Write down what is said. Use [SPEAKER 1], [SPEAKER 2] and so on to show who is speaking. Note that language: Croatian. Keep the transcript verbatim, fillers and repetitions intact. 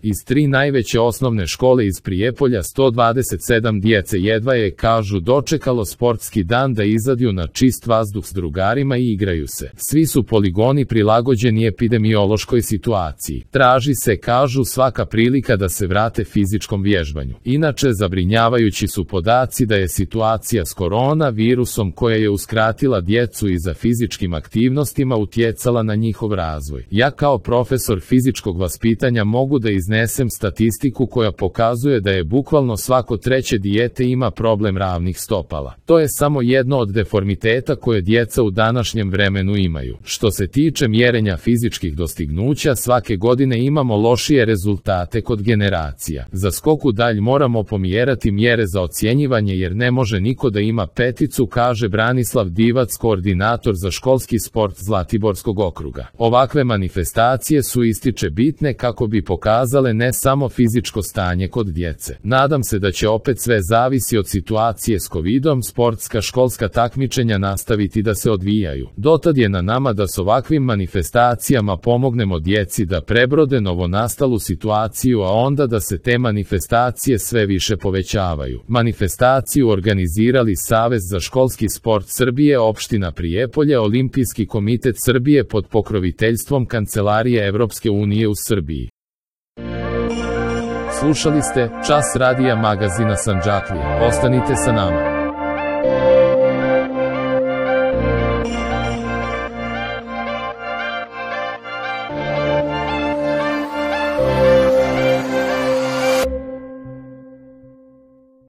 [SPEAKER 1] Iz tri najveće osnovne škole iz Prijepolja sto dvadeset sedam djece jedva je, kažu, dočekalo sportski dan da izađu na čist vazduh s drugarima i igraju se. Svi su poligoni prilagođeni epidemiološkoj situaciji. Traži se, kažu, svaka prilika da se vrate fizičkom vježbanju. Inače, zabrinjavajući su podaci da je situacija s koronavirusom koja je uskratila djecu i za fizičkim aktivnostima utjecala na njihov razvoj. Ja kao profesor fizičkog vaspitanja mogu da iznesem statistiku koja pokazuje da je bukvalno svako treće dijete ima problem ravnih stopala. To je samo jedno od deformiteta koje djeca u današnjem vremenu imaju. Što se tiče mjerenja fizičkih dostignuća, svake godine imamo lošije rezultate kod generacija. Za skok u dalj moramo pomjerati mjere za ocjenjivanje jer ne može niko da ima peticu, kaže Branislav Divac, koordinator za školski sport Zlatiborskog okruga. Ovakve manifestacije su, ističe, bitne kako bi pokazale ne samo fizičko stanje kod djece. Nadam se da će opet sve zavisi od situacije s kovidom, sportska školska takmičenja nastaviti da se odvijaju. Dotad je na nama da s ovakvim manifestacijama pomognemo djeci da prebrode novonastalu situaciju, a onda da se te manifestacije sve više povećavaju. Manifestaciju organizirali Savez za školski sport Srbije, opština Prijepolje, Olimpijski komitet Srbije pod pokroviteljstvom Kancelarije Evropske unije u Srbiji. Slušali ste Čas radija magazina Sandžaklija. Ostanite sa nama.